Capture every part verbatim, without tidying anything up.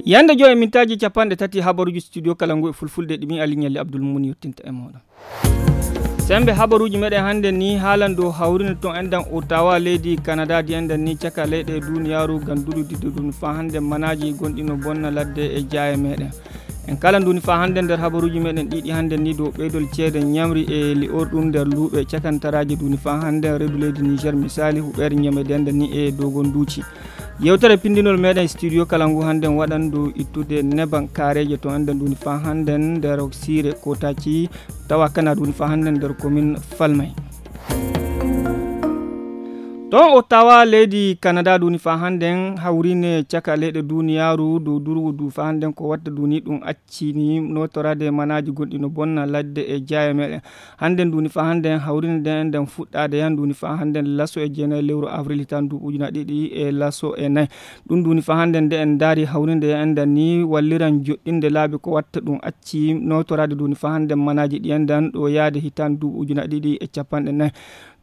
Yande joy e mintaaji capanɗe tati habaruuji studio kala ngu e fulfulde ɗi min Aliou Nialy Abdoul Moumouni yottinta e mooɗon. Sembe habaruuji meɗen hannde ni haalan dow hawrinde ton enɗan Ottawa leydi Canada di enɗan ni caka leyɗe duniyaaru ngam durudidde ɗum faa hannde manaaji gonɗi no bonna ladde e jaaye meɗen. En kala nduni faa hannde nder habaruuji meɗen ɗiɗi hannde ni dow ɓeydol ceede ñamri e li'orɗum nder luuɓe cakantaraaji nduni faa hannde reedu leydi Niger misali huɓeere ñamede enɗan ni e dogon duuci. Yewtere pindinol meɗen studio kala ngu hannde waɗan dow ittude neban kaareeje to enɗan nduni faa hannde nder siire Kotaki tawa kana nduni faa hannde nder commune Falmay. Ton Ottawa leydi Canada nduni faa hannde hawrine caka leyɗe duniyaaru dow durgu du faa hannde ko watta duni ɗum accini notoraade manaaji gonɗi no bonna ladde e jaaye meɗen. Hannde nduni faa hannde hawrinde nden fuɗɗaade yan nduni faa hannde laso e jeenayi lewru avril hitaan duuɓi ujuna ɗiɗi e laso e nayi. Ɗum nduni faa hannde nde en ndaari hawrinde en dan ni walliran joɗɗinde laabi ko watta ɗum acci notoraade nduni faa hannde manaaji ɗi en dan ɗo yaade hitaan duuɓi ujuna ɗiɗi e capanɗe nayi.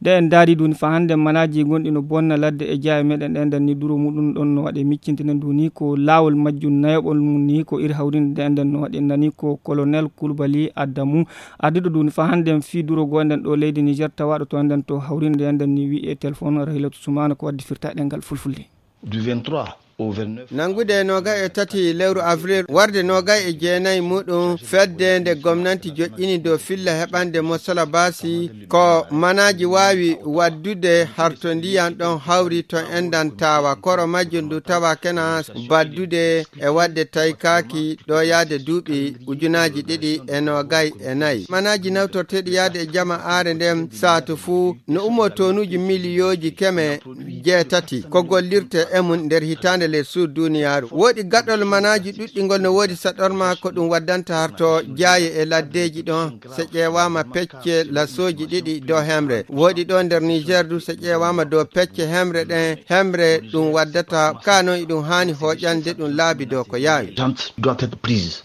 Nde en ndaari nduni faa hannde manaaji gonɗi no bonna ladde e jaaye meɗen ɗen dan ni duro muɗum ɗon no waɗe miccintinen nduni ko laawol majjum nayoɓol mum ni ko iri hawrinde nde en dan no waɗe nani ko colonel Kulbali Adamu adduɗo nduni faa hannde fii duro goo nden ɗo leydi Niger tawaɗo to nden to hawrinde nden ni wi'e téléphone Raylatu Sumana ko waddi firta ɗengal fulfulde. Du vingt-trois au vingt-neuf. Nanngude e noogay e tati lewru avril warde noogay e jeenayi muɗum fedde nde gomnanti joƴƴini dow filla heɓande mosala baasi ko manaaji waawi waddude harto ndiyan ɗon hawri to enɗan tawa koro majjum ndu tawa kena baddude e waɗde taykaaki ɗo yaade duuɓi ujunaaji ɗiɗi e noogay e nayi. Manaaji nawtorteeɗi yaade e jama aare nden saatu fuu no ummo tonuuji miliyooji keme jeetati ko gollirte e mum nder hitaande leydi Suud duniyaaru. Woodi gaɗol manaaji ɗuɗɗi ngol no woodi saɗorma ko ɗum waddanta harto jaaye e laddeeji ɗon. So ƴeewaama pecce lasooji ɗiɗi dow hemre. Woodi ɗo nder Niger du so ƴeewaama dow pecce hemre ɗen, hemre ɗum waddata ka non iɗum haani hooƴande ɗum laabi dow ko yaawi. Doit être prise.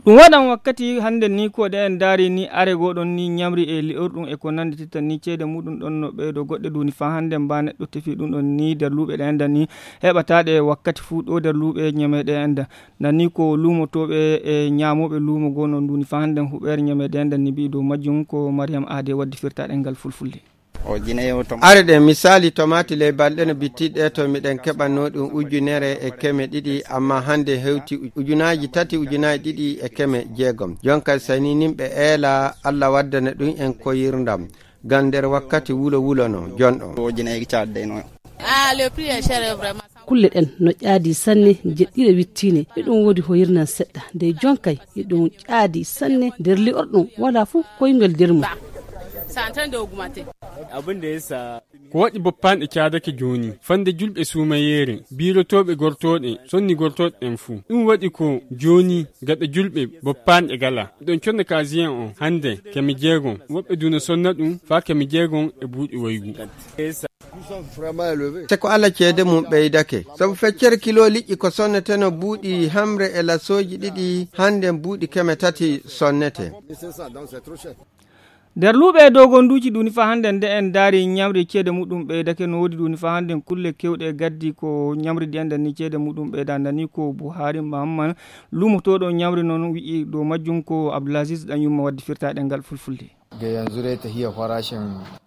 Ɗum waɗan wakkati hannde ni ko ɗe en ndaari ni are goo ɗon ni ñamri e li'orɗum e ko nanndititta ni ceede muɗum ɗon no ɓeydo goɗɗe duuni faa hannde mba neɗɗo tefi ɗum ɗon ni nder luuɓe ɗe enda ni heɓataɗe wakkati fuu ɗo nder luuɓe ñameɗe enda. Nani ko luumotooɓe e ñaamooɓe luumo goo no nduuni faa hannde huɓeere ñameɗe enda ni mbi'i dow majjum ko Mariam Aade waddi firtaɗe ngal fulfulde. Are ɗe misaali tomaati ley balɗe no bittiɗe to miɗen keɓanno ɗum ujunere e keme ɗiɗi amma hannde hewti ujunaaji tati ujunaaji ɗiɗi e keme jeegom. Jonka sani nimɓe eela Allah waddana ɗum en koyirndam ngam nder wakkati wulo wulo no jonɗo. Kulle ɗen no ƴaadi sanne, jeɗɗire wittiine, eɗum woodi hoyirnan seɗɗa, nde jonkay eɗum ƴaadi sanne, nder li'orɗum wala fuu koyngal nder mum. Ko waɗi boppaanɗe caadake jooni fande julɓe suumayeere, biirotooɓe gortooɗe sonni gortooɗe ɗen fuu. Ɗum waɗi ko jooni gaɗa julɓe boppaanɗe gala. Ɗon conna kaasiyen on hannde keme jeegom, woɓɓe duna sonna ɗum faa keme jeegom e buuɗi waygu. Te ko Allah ceede mum ɓeydake. Sabu feccere kilo liƴƴi ko sonneteno buuɗi hamre e lasooji ɗiɗi, hannden buuɗi keme tati sonnete. Nder luuɓe e dogonduuji ɗuni faa hannden nde en ndaari ñamri ceede muɗum ɓeydake no woodi ɗuni faa hannden kulle kewɗe gaddi ko ñamri ɗi enɗan ni ceede muɗum ɓeyda ndani ko Buhari Mahamman luumotooɗo ñamri noon wi'i dow majjum ko Abdulaziz ɗan yumma waddi firtaɗe ngal fulfulde.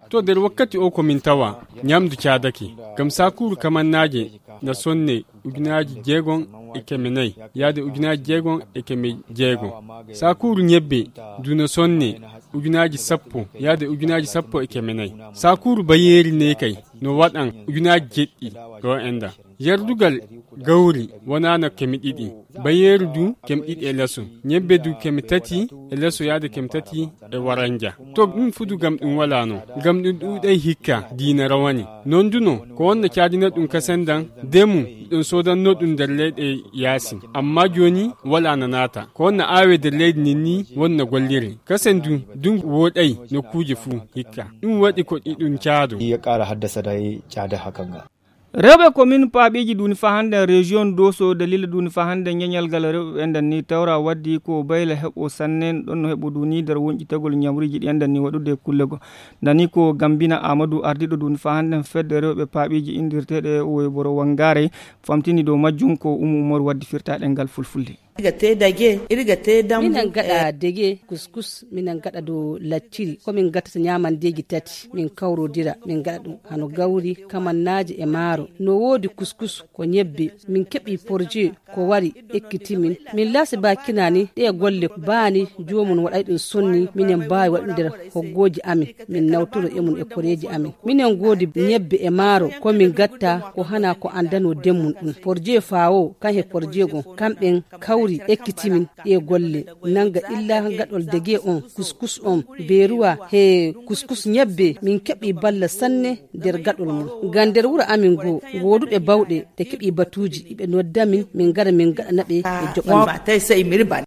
To nder wakkati o ko min tawa ñamdu caadake ngam sakuuru kamannaaje na sonne ujunaaji jeegom e keme nayi yaade ujunaaji jeegom e keme jeegom. Sakuuru ñebbe du no sonne ujunaaji sappo yaade ujunaaji sappo e keme nayi. Sakuuru bayeeri ne kay no waɗan ujunaaji jeɗɗi ɗo enda. Yardugal gawri wonaano keme ɗiɗi, bayeeru du keme ɗiɗi e leso, ñebbe du keme tati e leso yaade keme tati e waranja. To ɗum fudu gam ɗum walaano, gam ɗum ɗuuɗay hikka diina rawani. Non du no ko wonna caadina ɗum kasendan demu ɗum soodanno ɗum nder leyɗe yaasin. Amma jooni walaana naata ko wonna aawe nder leydi nin ni wonna golliri. Kasen du ɗum wooɗay nokkuuje fuu hikka. Ɗum waɗi ko ɗi ɗum caado. Ya ƙara haddasa da caada hakan ga. Rewɓe komin paaɓeeji duuni faa hannden rejiyon doso dalila duuni faa hannden ñeñal gal rewɓe ɓe enɗan ni tawra waddi ko bayla heɓo sannen ɗon no heɓo duuni nder wonƴitagol ñamruuji ɗi enɗan ni waɗude kulle go. Nani ko gambina amadou ardiɗo duuni faa hannden fedde rewɓe paaɓeeji inndirteeɗe woyboro wanngaare. Famtini dow majjum ko umu umor waddi firtaaɗe ngal fulfulde. Irga te dage, irga te dambu. Minen gaɗa dege kuskus, minen gaɗa dow lacciri. Ko min gattata ñamandeeji tati, min kawrodira, min gaɗa ɗum hano gawri, kamannaaji e maaro. No woodi kuskus ko ñebbe. Min keɓi porje ko wari ekkiti min. Min laasi ba kinani ɗe golle baani joomum waɗay ɗum sonni minen mbaawi waɗude nder hoggooji amin. Min nawtoro e mum e koreeji amin. Minen ngoodi ñebbe e maaro ko min gatta ko hana ko anndano demmum ɗum. Porje faawo kan he porje gon kamɓen kawri ekkitimin ɗe golle nanga illa gaɗol dege on kuskus on beruwa he kuskus ñebbe min keɓi balla sanne nder gaɗol mum. Ngam nder wuro amin goo wooduɓe bawɗe ɓe keɓi batuuji iɓe nodda min min ngara min gaɗana ɓe e joɓal.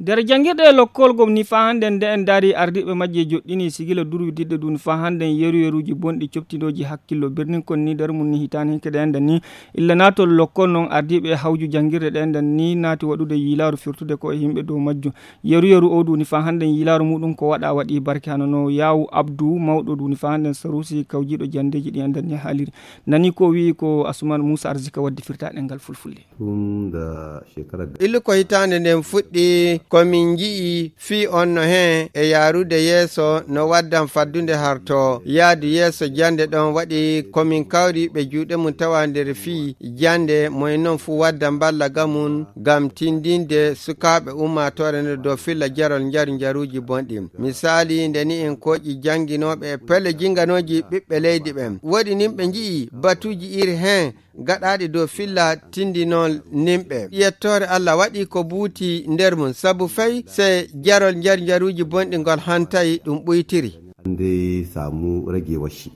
Nder janngirɗe e lokkol gom ni faa hannden nde en ndaari ardiiɓe majje joɗɗini sigila durwididde ɗum faa hannden yeru yeruuji bonɗi coptinooji hakkillo birnin kon ni nder mum ni hitaani hinke ɗe enda ni. Illa naatol lokkol noon ardiiɓe e hawju janngirɗe ɗe enda ni naati waɗude yiilaaru firtude ko e yimɓe dow majjum. Yeru yeru o ɗum ni faa hannden yiilaaru muɗum ko waɗa waɗi barke hano no yaawu abdu mawɗo ɗum ni faa hannden saruusi kawjiiɗo janndeeji ɗi enda ni haaliri. Nani ko wi'i ko asuman muusa arzika waddi firtaaɗe ngal fulfulde. Tun da shekarar da Illu ko hitaande nden fuɗɗi ko min nji'i fii on no heen e yaarude yeeso no waddan faddunde harto yaadu yeeso jannde ɗon waɗi ko min kawri ɓe juuɗe mum tawa nder fii jannde moy noon fuu wadda mballa ga mum ngam tindinde sukaaɓe ummaatoore nde dow filla jarol njaru njaruuji bonɗi. Misaali nde ni en kooƴi jannginooɓe e pelle jinnganooji ɓiɓɓe leydi ɓen woɗi nin ɓe nji'i batuuji iri heen gaɗaaɗi dow filla tindinol nimɓe. Yettoore Allah waɗi ko buuti nder mum, sabu fay se jarol njar njaruuji bonɗi ngol hantay ɗum ɓuytiri. An dai samu ragewar shi.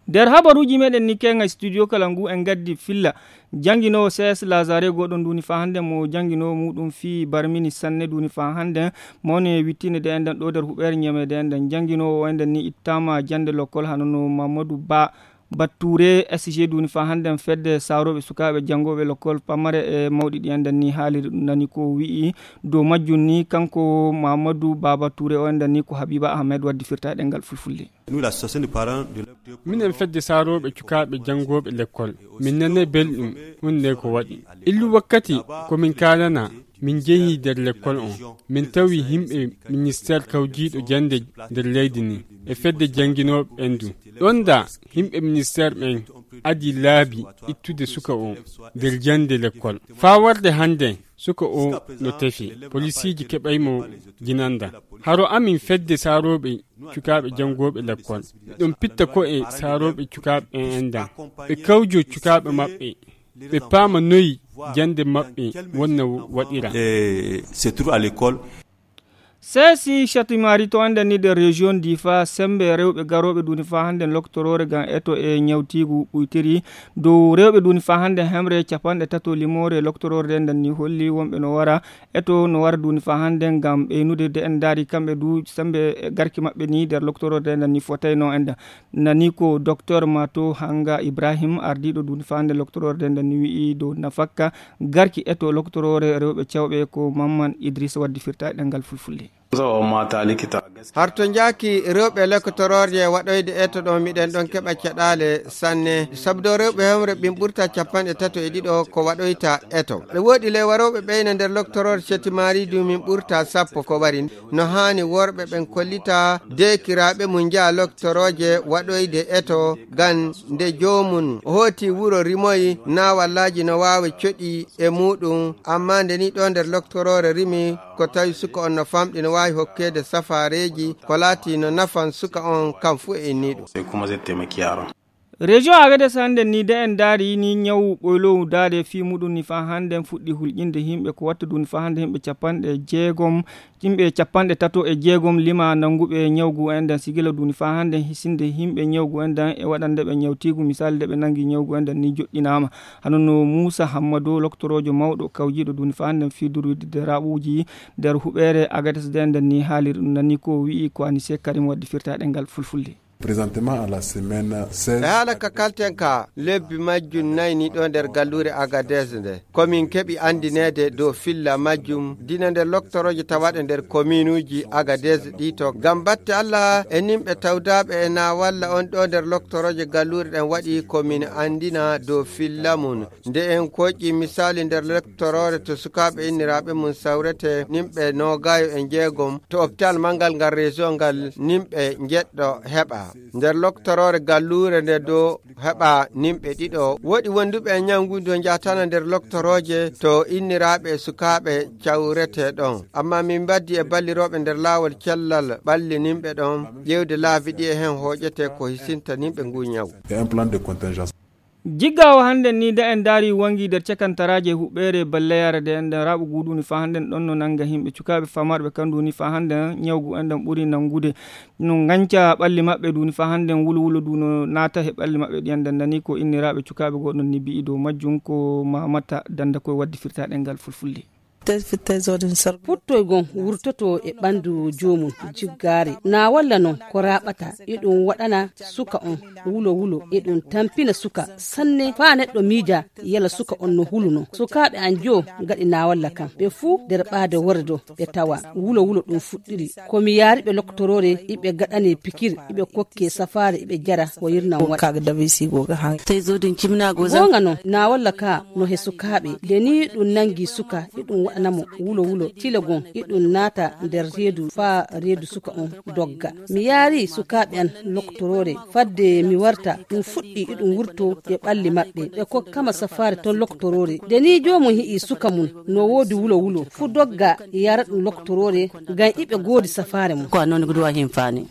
Nder habaruuji meɗen ni kenga studio kala ngu en ngaddi filla. Jannginoowo C S Lazare goɗɗo nduni faa hannde mo jannginoowo muɗum fii barmini sanne nduni faa hannde mawni e wittinde de enɗen ɗo nder huɓeere ñameede enɗen jannginoowo o enɗen ni ittama jannde lokkol hano no Mamadou Ba Batture S G duni faa hannden fedde saarooɓe sukaaɓe janngooɓe lokkol pamare e mawɗi ɗi enɗen ni haaliri ɗum nani ko wi'i dow majjum ni kanko Mamadou Baba Touré o enɗen ni ko Habiba Ahmed waddi firtaaɗe ngal fulfulde. Minen fedde saarooɓe cukaaɓe janngooɓe lekkol min nanay belɗum hunde ko waɗi illu wakkati ko min kaalana min njehi nder lekkol on min tawi yimɓe ministeer kawjiiɗo jannde nder leydi ni e fedde jannginooɓe ɓen du ɗon da yimɓe ministeer ɓen adi laabi ittude suka o nder jannde lekkol faa warde hannden suka o no tefi polisiiji keɓay mo jinanda haro amin fedde saarooɓe cukaaɓe janngooɓe lekkol ɗum pitta ko e saarooɓe cukaaɓe ɓen endan ɓe kawjo cukaaɓe maɓɓe ɓe paama noyi jannde maɓɓe wonna waɗira. Se trouve à l'école. Seesi shatimari to anda ni nder région difa sembe rewɓe garooɓe duni faa hannde loktorore ngam eto e ñawtiigu ɓuytiri dow rewɓe duni faa hannde hemre capanɗe tato limoore loktororde nden ni holli wonɓe no wara eto no wara duni faa hannde ngam ɓeynude de en ndaari kamɓe du sembe garki maɓɓe ni nder loktororde nden ni fotayno en nani ko docteur mato hanga ibrahim ardiɗo duni faa hannde loktororde nden ni wi'i dow nafakka garki eto loktorore rewɓe cewɓe ko mamman idrissa waddi firtaɗe ɗengal fulfulde. Harto njaaki rewɓe loktororje waɗoyde eto ɗo miɗen ɗon keɓa caɗaale sanne sabu ɗo rewɓe hewre ɓin ɓurta capanɗe tato e ɗiɗo ko waɗoyta eto ɓe woɗi ley warooɓe ɓeyna nder loktoror cetimari du min ɓurta sappo ko wari no haani worɓe ɓen kollita deekiraaɓe mum njaha loktorooje waɗoyde eto ngam nde joomum hooti wuro rimoyi naawallaaji no waawi coɗi e muuɗum amma nde ni ɗo nder loktoroore rimi ko tawi suka on no famɗi no waawi hokkeede safaareeji ko laati no nafan suka on kam fuu e inniiɗum. Région Agadez hannde ni de en daari ni ñawu ɓoylowu daade fii muɗum ni faa hannde fuɗɗi hulƴinde yimɓe ko watta duni faa hannde yimɓe capanɗe jeegom, yimɓe capanɗe tato e jeegom lima nannguɓe ñawgu en ɗan sigila duni faa hannde hisinde yimɓe ñawgu en ɗan e waɗande ɓe ñawtiigu misali nde ɓe nanngi ñawgu en ɗan ni joɗɗinaama. Hano no Muusa Hammadu loktoroojo mawɗo kawjiiɗo duni faa hannde fii durwidde raaɓuuji nder huɓeere Agadez de en ɗan ni haali ɗum nani ko wi'i ko Anise Karim waddi firtaaɗe ngal fulfulde. Présentement à la semaine seize. E haala ka kalten ka lebbi majjum nayi ni ɗo nder galluure Agadez nde. Komin keɓi anndineede dow filla majjum dina nder loktorooje tawaaɗe nder kominuuji Agadez ɗi to. Ngam batte Allah e nimɓe tawdaaɓe e na walla on ɗo nder loktorooje galluure ɗen waɗi komin anndina dow filla mum. Nde en koƴƴi misaali nder lektoroore to sukaaɓe inniraaɓe mum sawrete nimɓe noogaayo e njeegom to opitaal manngal ngal région ngal nimɓe njeɗɗo heɓa. Nder loktoroore galluure nde do heɓa nimɓe ɗiɗo. Woɗi wonduɓe e ñawngudu njatana nder loktorooje to inniraaɓe e sukaaɓe cawrete ɗon. Amma min mbaddi e ballirooɓe nder laawol cellal ɓalli nimɓe ɗon ƴeewde laabi ɗi e hen hooƴete ko hisinta nimɓe ngu ñaw. Et un plan de contingence. Jiggaawo hannden nii, nde en ndaarii wanngi nder cakantaraaje huɓeere balleyaare, nde en ɗan raaɓu ngu duuni faa hannden ɗon no nannga yimɓe cukaaɓe famarɓe kan duuni faa hannden ñawgu en ɗan ɓuri nanngude. No nganca ɓalli maɓɓe duuni faa hannden wulo wulo du no naata he ɓalli maɓɓe ɗiyan ɗan nanii ko inniraaɓe cukaaɓe goo ɗon ni bi'i dow majjum ko Mamata Dannda koye waddi firtaa ɗemngal fulfulde. Puttoygon wurtoto e ɓanndu joomum jiggaare. Na walla non ko raaɓata, eɗum waɗana suka on wulo wulo, eɗum tampina suka sanne faa neɗɗo miija yala suka on no huluno. Sukaaɓe an joo ngaɗi na walla kan. Ɓe fuu nder ɓaade worre do ɓe tawa wulo wulo ɗum fuɗɗiri. Ko mi yaari ɓe loktoroore, iɓe gaɗane pikir, iɓe kokke safaare, iɓe jara ko yirnan waɗa. Goonga non, na walla ka no he sukaaɓe. Nde nii ɗum nanngi suka, iɗum waɗana mo wulo wulo. Tile gon, iɗum naata nder reedu faa reedu suka on dogga. Mi yaari sukaaɓe an loktoroore. Fadde mi warta, ɗum fuɗɗi iɗum wurto e ɓalli maɓɓe. Ɓe kokkama safaare ton loktoroore. Nde nii joomum hi'i suka mum no woodi wulo wulo, fu dogga yara ɗum loktoroore, ngam iɓe goodi safaare mum. Ko a noon ko duwa himfaani.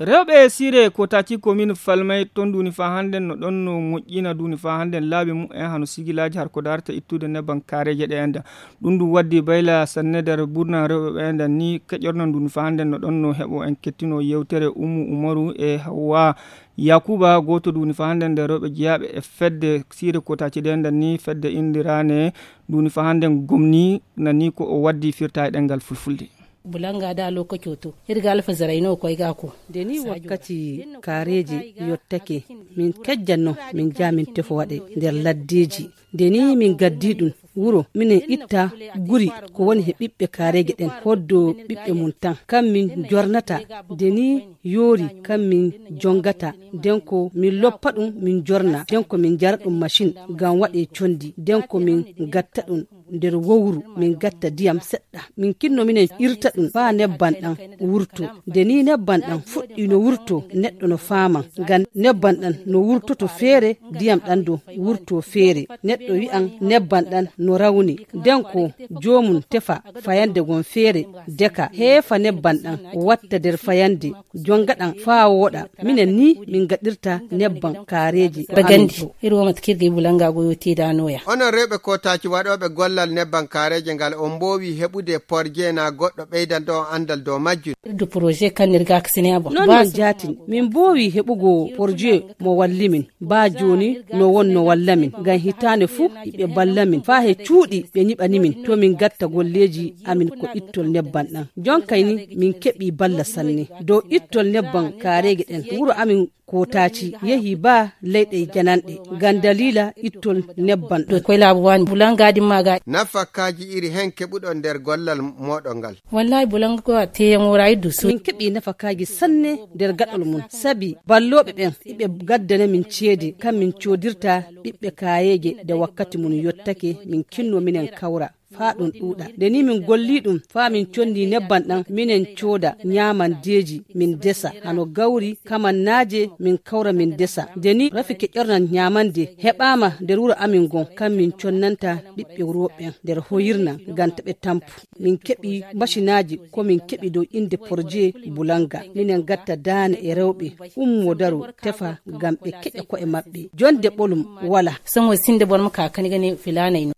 Rewɓe e siire Kotaaci komin Falmay ton duuni faa hannden no ɗon no moƴƴina duuni faa hannden laabi mum en hano sigilaaji har ko daarta ittude nebban kaareeje ɗe enda. Ɗum ɗum waddi bayla sanne nder burna rewɓe ɓe enda ni keƴorno duuni faa hannden no ɗon no heɓo en kettino yewtere Ummu Umaru e Hawwa Yakuba, gooto duuni faa hannden nder rewɓe jeyaaɓe e fedde siire Kotaaci ɗe enda ni fedde indirane duuni faa hannden gomni nani ko o waddi firta e ɗemngal fulfulde. Bulanga da lokaci to, irga alfa zarai no koy ga ko. Nde nii wakkati kaareeje yottake, min kejjanno, min jaa min tefo waɗe nder laddeeji. Nde nii min gaddi ɗum wuro, minen itta guri ko woni he ɓiɓɓe kaareeje ɗen, hoddo ɓiɓɓe mum tan. Kam min jornata, nde nii yoori, kam min jongata. Nden ko min loppa ɗum, min jorna. Nden ko min njara ɗum macin, ngam waɗe condi. Nden ko min gatta ɗum nder wowru, min gatta ndiyam seɗɗa. Min kinno minen irta ɗum faa nebban ɗan wurto. Nde nii nebban ɗan fuɗɗi no wurto, neɗɗo no faaman. Ngam nebban ɗan no wurtoto feere, ndiyam ɗan do wurto feere. Neɗɗo wi'an nebban ɗan no rawni. Nden ko joomum tefa fayande gon feere, deka, heefa nebban ɗan, watta nder fayande, jonga ɗan faa wooɗa. Minen nii min gaɗirta nebban kaareeje. Bagandi, amin ɗo. Iri wonat kirge bulanga go yo teedanoya. Onon rewɓe Kotaaci waɗooɓe gollal nebban kaareeje ngal, on mboowi heɓude porje na goɗɗo ɓeydanɗo on anndal dow majjum? Irdu projet kan nirga kasine abo. Non non jaatin, min mboowi heɓugo porje mo walli min. Baa jooni no wonno walla min, ngam hitaande fuu iɓe balla min. Faa he cuuɗi ɓe nyiɓani min, to min gatta golleeji amin ko ittol nebban ɗan. Jonkay ni min keɓi balla sanne dow ittol nebban kaareeje ɗen. Wuro amin Kotaaci yehi baa leyɗe jananɗe ngam daliila ittol nebban ɗan. Koy laabu waani bulanga dimma ga. Nafakaaji iri hen keɓuɗon nder gollal mooɗon ngal? Wallahi bulanga ko a teyan wora iddu so. Min keɓi nafakaaji sanne nder gaɗol mum, sabi ballooɓe ɓen iɓe gaddana min ceede, kam min coodirta ɓiɓɓe kaayeeje nde wakkati mum yottake, min kinno minen kawra. Faa ɗum ɗuuɗa. Nde ni min golli ɗum, faa min conndi nebban ɗan, minen cooda ñaamandeeji, min desa. Hano gawri, kamannaaje, min kawra, min desa. Nde ni rafi keƴornan ñaamande heɓaama nder wuro amin ngon, kan min connanta ɓiɓɓe wuro ɓen nder hoyirnan, ngam ta ɓe tampu. Min keɓi masinaaji ko min keɓi dow innde porjee Bulanga. Minen ngatta daane e rewɓe, ummo daro, tefa, ngam ɓe keƴa ko'e maɓɓe. Jonde ɓolum wala. Sango sinde bor mo ka kani gani filaanay no.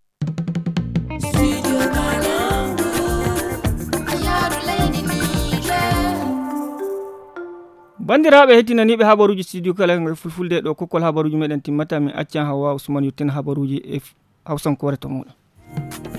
Banndiraaɓe heɗtinaniiɓe habaruuji studio kala ngal fulfulde ɗo kokkol habaruuji meɗen timmata, min accan Hawwa Usman yottina habaruuji e f-, hawsankoore to muɗum.